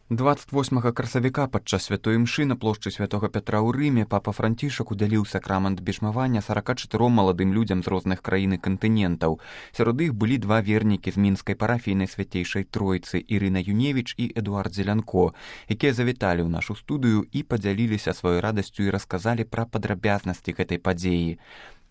28 красавіка падчас святой імшы на плошчы святога Пятра ў Рыме папа Францішак удзяліў сакрамент бежмавання 44 маладым людзям з розных краін і кантынентаў. Сярод іх былі два вернікі з мінскай парафійнай свяцейшай тройцы Ірына Юневіч і Эдуард Зелянко, якія завіталі ў нашу студыю і падзяліліся сваёй радасцю і расказалі пра падрабязнасці гэтай падзеі.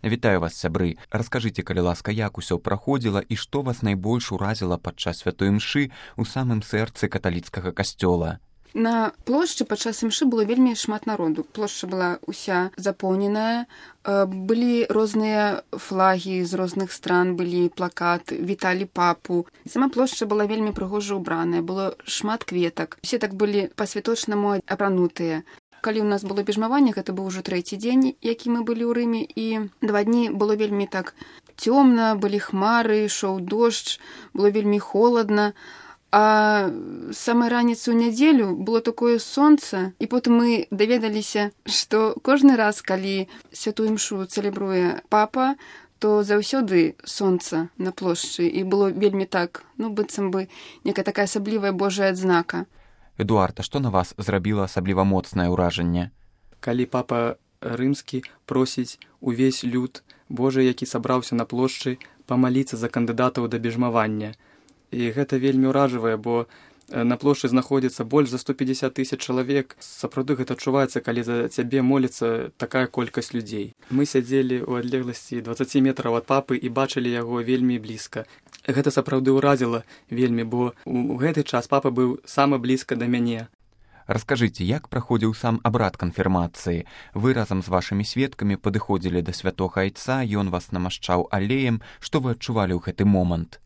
Вітаю вас, сябры. Раскажыце, калі ласка, як усё праходзіла і што вас найбольш уразіла падчас святой імшы ў самым сэрцы каталіцкага касцёла. На плошчы падчас імшы было вельмі шмат народу. Плошча была ўся запоўненая, былі розныя флагі з розных стран, былі плакаты, віталі папу. Сама плошча была вельмі прыгожа ўбраная, было шмат кветак. Усе так былі па-святочнаму апранутыя. Калі ў нас было бежмаванне, гэта быў ужо трэці дзень, які мы былі ў Рыме, і 2 дні было вельмі так цёмна, былі хмары, ішоў дождж, было вельмі холадна. А самай раніцы ў нядзелю было такое сонца, і потым мы даведаліся, што кожны раз, калі святую імшу цэлебруе папа, то заўсёды сонца на плошчы, і было вельмі так, быццам бы некая такая асаблівая Божая адзнака. Эдуард, а што на вас зрабіла асабліва моцнае ўражанне? Калі папа рымскі просіць увесь люд Божы, які сабраўся на плошчы, памаліцца за кандыдатаў да бежмавання. І гэта вельмі ўражвае, бо на плошчы знаходзіцца больш за 150 000 чалавек. Сапраўды гэта адчуваецца, калі за цябе моліцца такая колькасць людзей. Мы сядзелі ў адлегласці 20 метраў ад папы і бачылі яго вельмі блізка. Гэта сапраўды ўразіла вельмі, бо ў гэты час папа быў самы блізка да мяне. Раскажыце, як праходзіў сам абрад канфірмацыі? Вы разам з вашымі сведкамі падыходзілі да святога айца, ён вас намашчаў алеем. Што вы адчувалі ў гэты момант?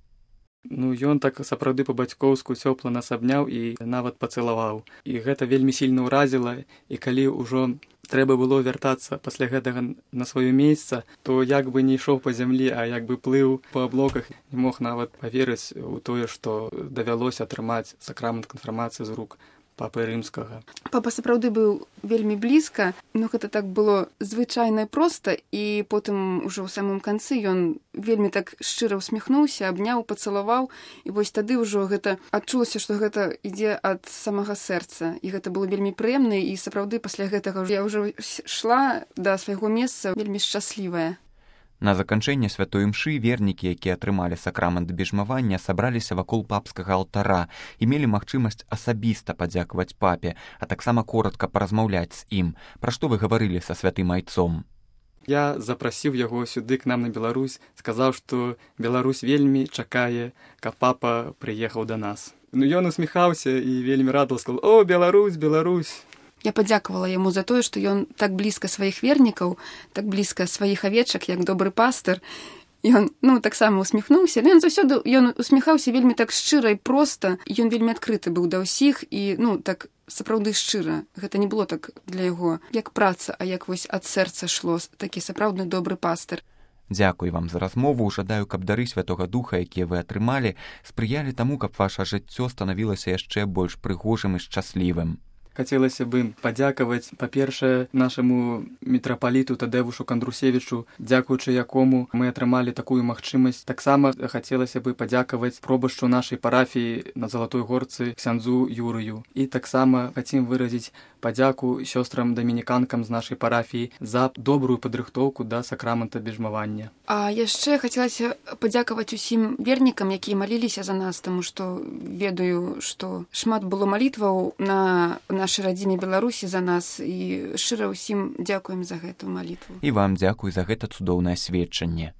Ён так сапраўды па-бацькоўску цёпла нас абняў і нават пацалаваў. І гэта вельмі сильна ўразіла, і калі ўжо трэба было вяртацца пасля гэтага на сваё месца, то як бы не ішоў па зямлі, а як бы плыў па аблоках, не мог нават паверыць у тое, што давялося атрымаць сакрамент канфірмацыі з рук папы рымскага. Папа сапраўды быў вельмі блізка, гэта так было звычайна проста, і потым ужо ў самым канцы ён вельмі так шчыра ўсміхнуўся, абняў, пацалаваў, і вось тады ўжо гэта адчулася, што гэта ідзе ад самага сэрца, і гэта было вельмі прыемна, і сапраўды пасля гэтага я ўжо шла да свайго месца вельмі шчаслівая. На заканчэнне святой імшы вернікі, якія атрымалі сакрамент бежмавання, сабраліся вакол папскага алтара і мелі магчымасць асабіста падзякаваць папе, а таксама коратка паразмаўляць з ім. Пра што вы гаварылі са святым айцом? Я запрасіў яго сюды к нам на Беларусь, сказаў, што Беларусь вельмі чакае, каб папа прыехаў да нас. Ён усміхаўся і вельмі радаваў, сказаў: «О, Беларусь, Беларусь!» Я падзякавала яму за тое, што ён так блізка сваіх вернікаў, так блізка сваіх авечак, як добры пастыр. Ён, таксама усміхнуўся, але ён усміхаўся вельмі так шчыра і проста. Ён вельмі адкрыты быў да ўсіх і, так сапраўды шчыра. Гэта не было так для яго, як праца, а як вось ад сэрца шло, такі сапраўдны добры пастыр. Дзякуй вам за размову. Жадаю, каб дары святога духа, якія вы атрымалі, спрыялі таму, каб ваша жыццё станавілася яшчэ больш прыгожым і шчаслівым. Хацелася бы падзякаваць, па-першае, нашаму мітрапаліту Тадэвушу Кандрусевічу, дзякуючы якому мы атрымалі такую магчымасць. Таксама хацелася бы падзякаваць пробашчу нашай парафіі на Залатой Горцы ксяндзу Юрыю. І таксама хацім выразіць падзяку сёстрам-дамініканкам з нашай парафіі за добрую падрыхтоўку да сакрамента бежмавання. А яшчэ хацелася падзякаваць усім вернікам, якія маліліся за нас, таму што ведаю, што шмат было малітваў на нашай радзіме Беларусі за нас, і шчыра ўсім дзякуем за гэту малітву. І вам дзякуй за гэта цудоўнае сведчанне.